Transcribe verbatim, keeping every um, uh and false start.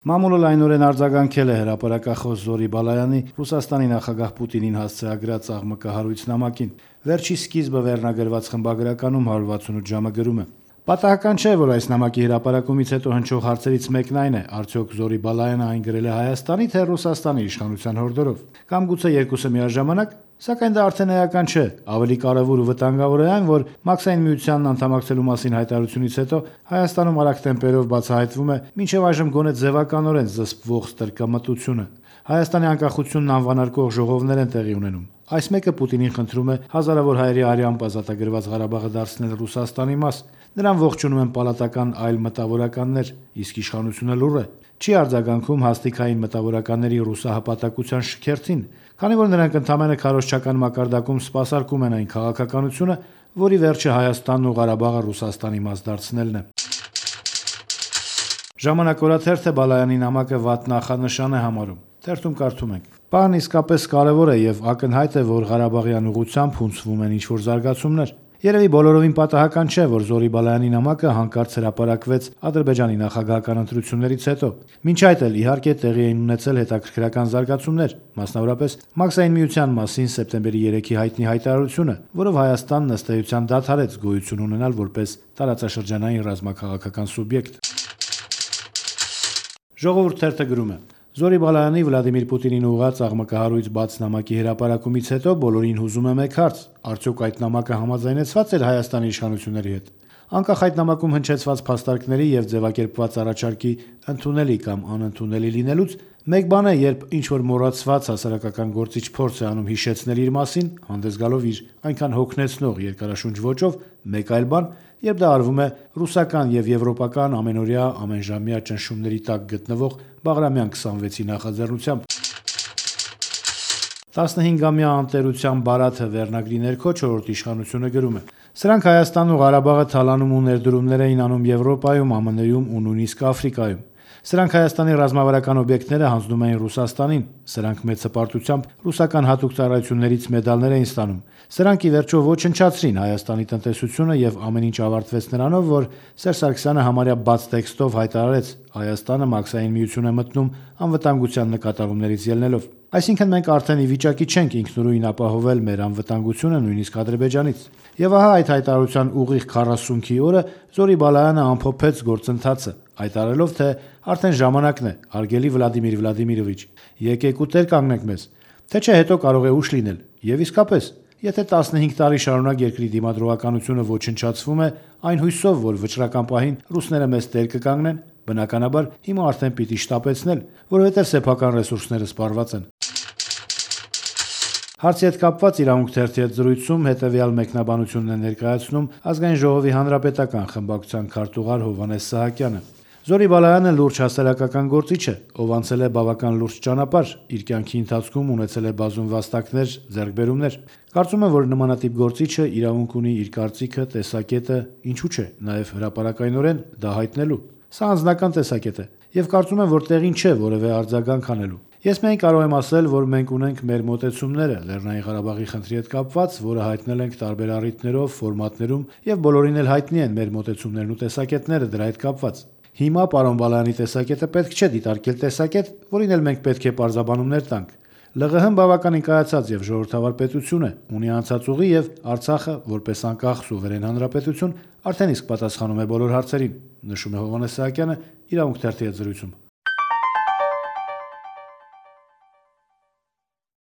Մամուլը լայնորեն արձագանքել է հրապարակախոս Զորի Բալայանի Ռուսաստանի նախագահ Պուտինին հասցեագրած աղմկահարույց նամակին։ Վերջի սկիզբը վերնագրված խմբագրականում հարյուր վաթսունութ ժամը գրում է. Պատահական չէ, որ այս նամակի հրապարակումից հետո հնչող հարցերից մեկն այն է, արդյոք Զորի Բալայանը այն գրել է Հայաստանի, թե Ռուսաստանի իշխանության հորդորով, կամ գուցե երկուսը միաժամանակ, սակայն դա արդեն էական չէ։ Ավելի կարևոր ու վտանգավոր է այն, որ Մաքսային միությանն անդամակցելու մասին հայտարարությունից հետո Հայաստանում արագ տեմպերով բացահայտվում է մինչև այժմ գոնե ձևականորեն զսպվող ստրկամտությունը։ Հայաստանի անկախությունն անվանարկող ժողովներ են տեղի ունենում։ Այս մեկը Պուտինին խնդրում է հազարավոր հայերի արյամբ ազատագրված Ղարաբաղը դարձնել Ռուսաստանի մաս։ Նրան ողջունում են պալատական այլ մտավորականներ, իսկ իշխանությունը լուռ է, չի արձագանքում հաստիքային մտավորականների ռուսահպատակության շքերթին, քանի որ նրանք ընդամենը քարոզչական մակարդակում սպասարկում են այն քաղաքականությունը, որի վերջը Հայաստանն ու Ղարաբաղը Ռուսաստանի մաս դարձնելն է։ Ժամանակ օրաթերթը Բալայանի նամակը վատ նախանշան է համարում։ Թերթում կարդում ենք. Բանն իսկապես կարևոր է եւ ակնհայտ է, որ Ղարաբաղյան ուղղությամբ հունցվում են ինչ-որ զարգացումներ։ Երևի բոլորովին պատահական չէ, որ Զորի Բալայանի նամակը հանկարծ հրապարակվեց Ադրբեջանի նախագահական ընտրություններից հետո։ Մինչ այդ էլ իհարկե տեղի էին ունեցել հետաքրքրական զարգացումներ, մասնավորապես Մաքսային միության մասին սեպտեմբերի երեքի հայտնի հայտարարությունը, որով Հայաստանն ըստ էության դադարեց գոյություն ունենալ որպես տարածաշրջանային ռազմաքաղաքական սուբյեկտ։ Ժողովուրդ թերթը գրում է. Զորի Բալայանի Վլադիմիր Պուտինին ուղղված աղմկահարույց բաց նամակի հրապարակումից հետո բոլորին հուզում է մեկ հարց. արդյոք այդ նամակը համաձայնեցված էր Հայաստանի իշխանությունների հետ։ Անկախ այդ նամակում հնչեցված փաստարկների եւ ձևակերպված առաջարկի ընդունելի կամ անընդունելի լինելուց, մեկ բան է, երբ ինչ-որ մոռացված հասարակական գործիչ փորձ է անում հիշեցնել իր մասին, հանդես գալով իր այնքան հոգնեցնող երկարաշունչ ոճով, մեկ այլ բան, երբ դա արվում է ռուսական եւ եվրոպական ամենօրյա ամենժամյա ճնշումների տակ գտնվող Բաղրամյան քսանվեցի նախաձեռնությամբ։ տասնհինգամյա անտերության բարաթը վերնագրի ներքո չորրորդ իշխանությունը գրում է. Սրանք Հայաստանն ու Ղարաբաղը թալանում ու ներդրումներ էին անում Եվրոպայում, ԱՄՆ-ում ու նույնիսկ Աֆրիկայում։ Սրանք Հայաստանի ռազմավարական օբյեկտները հանձնում էին Ռուսաստանին, սրանք մեծ հպարտությամբ ռուսական հատուկ ծառայություններից մեդալներ էին ստանում։ Սրանք ի վերջո ոչնչացրին Հայաստանի տնտեսությունը եւ ամեն ինչ ավարտվեց նրանով, որ Սերժ Սարգսյանը համարյա բաց տեքստով հայտարարեց. Հայաստանը Մաքսային միություն է մտնում անվտանգության նկատառումներից ելնելով։ Այսինքն մենք արդեն ի վիճակի չենք ինքնուրույն ապահովել մեր անվտանգությունը նույնիսկ Ադրբեջանից։ Եվ ահա այդ հայտարարության ուղիղ քառասունքի օրը Զորի Բալայանը ամփոփեց գործընթացը, հայտարարելով, թե արդեն ժամանակն է, հարգելի Վլադիմիր Վլադիմիրովիչ, եկեք ու տեր կանգնեք մեզ, թե չէ հետո կարող է ուշ լինել։ Եվ իսկապես, եթե տասնհինգ տարի շարունակ երկրի դիմադրողականությունը ոչնչացվում է, այն հույսով, որ վճռական պահին ռուսները մեզ տեր կկանգնեն, բնականաբար հիմա արդեն պիտի շտապեցնել, որովհետև սեփական ռեսուրսները սպառված են։ Հարցի հետ կապված Իրավունք թերթի հետ զրույցում հետևյալ մեկնաբանությունն է ներկայացնում Ազգային ժողովի հանրապետական խմբակցության քարտուղար Հովհաննես Սահակյանը։ Զորի Բալայանը լուրջ հասարակական գործիչ է, ով անցել է բավական լուրջ ճանապարհ, իր կյանքի ընթացքում ունեցել է բազում վաստակներ, ձեռքբերումներ։ Կարծում եմ, որ նմանատիպ գործիչը իրավունք ունի իր կարծիքը, տեսակետը, ինչու՞ չէ, նաև հրապարակայնորեն դա հայտնելու։ Սա անձնական տեսակետ է, եւ կարծում եմ, որ տեղին չէ որևէ արձագանք անելու։ Ես միայն կարող եմ ասել, որ մենք ունենք մեր մոտեցումները Լեռնային Ղարաբաղի խնդրի հետ կապված, որը հայտնել ենք տարբեր առիթներով, ֆորմատներում եւ բոլորին էլ հայտնի են մեր մոտեցումներն ու տեսակետները դրա հետ կապված։ Հիմա պարոն Բալայանի տեսակետը պետք չէ դիտարկել տեսակետ, որին էլ մենք պետք է պարզաբանումներ տանք։ ԼՂՀ-ն բավականին կայացած եւ ժողովրդավար պետություն է, ունի անցած ուղի եւ Արցախը, որպես անկախ սուվերեն հանրապետություն, արդեն իսկ պատասխանում է բոլոր հարցերին, նշում է Հովհաննես Սահակյանը Իրավունք թերթի հետ զրույցում։